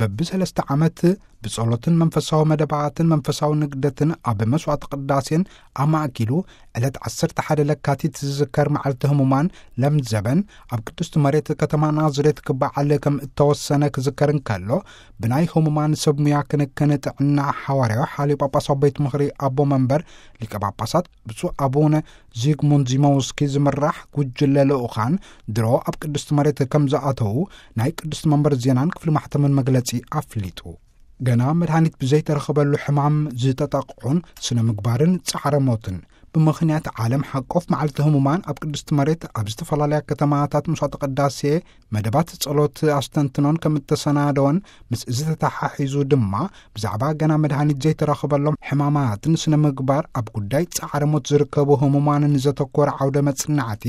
በብሰለስተ ዓመት ብጸሎትን መንፈሳዊ መደባትን መንፈሳዊ ንግደትን ኣብ መስዋዕቲ ቅዳሴን ኣማእኪሉ ዕለት ዓሰርተ ሓደ ለካቲት ዝዝከር መዓልቲ ህሙማን ለምዘበን ኣብ ቅድስቲ መሬት ከተማ ናዝሬት ክበዓል ከም እተወሰነ ክዝከር እንከሎ፣ ብናይ ህሙማን ሰብ ሙያ ክንክን ጥዕና ሓዋርያዊ ሓልዮ ጳጳሳዊ ቤት ምኽሪ ኣቦ መንበር ሊቀ ጳጳሳት ብፁዕ ኣቡነ ዚግሙንድ ዚሞውስኪ ዝምራሕ ጉጅለ ልኡኻን ድሮ ኣብ ቅድስቲ መሬት ከም ዝኣተዉ ናይ ቅድስቲ መንበር ዜናን ክፍሊ ማሕተምን መግለጺ ኣፍሊጡ። ገና መድሃኒት ብዘይተረኽበሉ ሕማም ዝተጠቕዑን ስነ ምግባርን ጻዕረ ሞትን ብምኽንያት ዓለም ሓቆፍ መዓልቲ ህሙማን ኣብ ቅድስቲ መሬት ኣብ ዝተፈላለያ ከተማታት መስዋዕተ ቅዳሴ መደባት ጸሎት ኣስተንትኖን ከም እተሰናደወን፣ ምስ እዚ ተተሓሒዙ ድማ ብዛዕባ ገና መድሃኒት ዘይተረኽበሎም ሕማማትን ስነ ምግባር ኣብ ጉዳይ ጻዕረ ሞት ዝርከቡ ህሙማንን ዘተኮረ ዓውደ መጽናዕቲ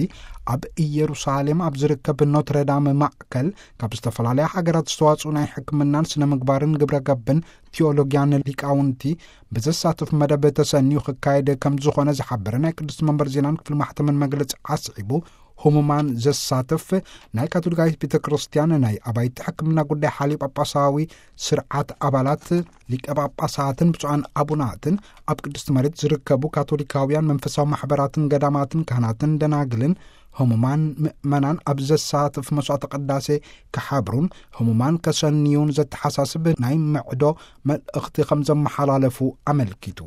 ኣብ ኢየሩሳሌም ኣብ ዝርከብ ኖትረዳም ማእከል ካብ ዝተፈላለያ ሃገራት ዝተዋጽኡ ናይ ሕክምናን ስነ ምግባርን ግብረ ገብን ቲዮሎጊያን ሊቃውንቲ ብዘሳትፍ መደብ ተሰንዩ ክካየድ ከም ዝኾነ ዝሓበረ ናይ ቅድስቲ መንበር ዜናን ክፍሊ ማሕተምን መግለጺ ኣስዒቡ፣ ህሙማን ዘሳትፍ ናይ ካቶሊካዊት ቤተ ክርስቲያን ናይ ኣባይቲ ሕክምና ጉዳይ ሓልዮ ጳጳሳዊ ስርዓት ኣባላት ሊቀ ጳጳሳትን ብፁዓን ኣቡናትን ኣብ ቅድስቲ መሬት ዝርከቡ ካቶሊካውያን መንፈሳዊ ማሕበራትን ገዳማትን ካህናትን ደናግልን ህሙማን ምእመናን ኣብ ዘሳትፍ መስዋዕተ ቅዳሴ ክሓብሩን ህሙማን ከሰንዩን ዘተሓሳስብ ናይ ምዕዶ መልእኽቲ ከም ዘመሓላለፉ ኣመልኪቱ።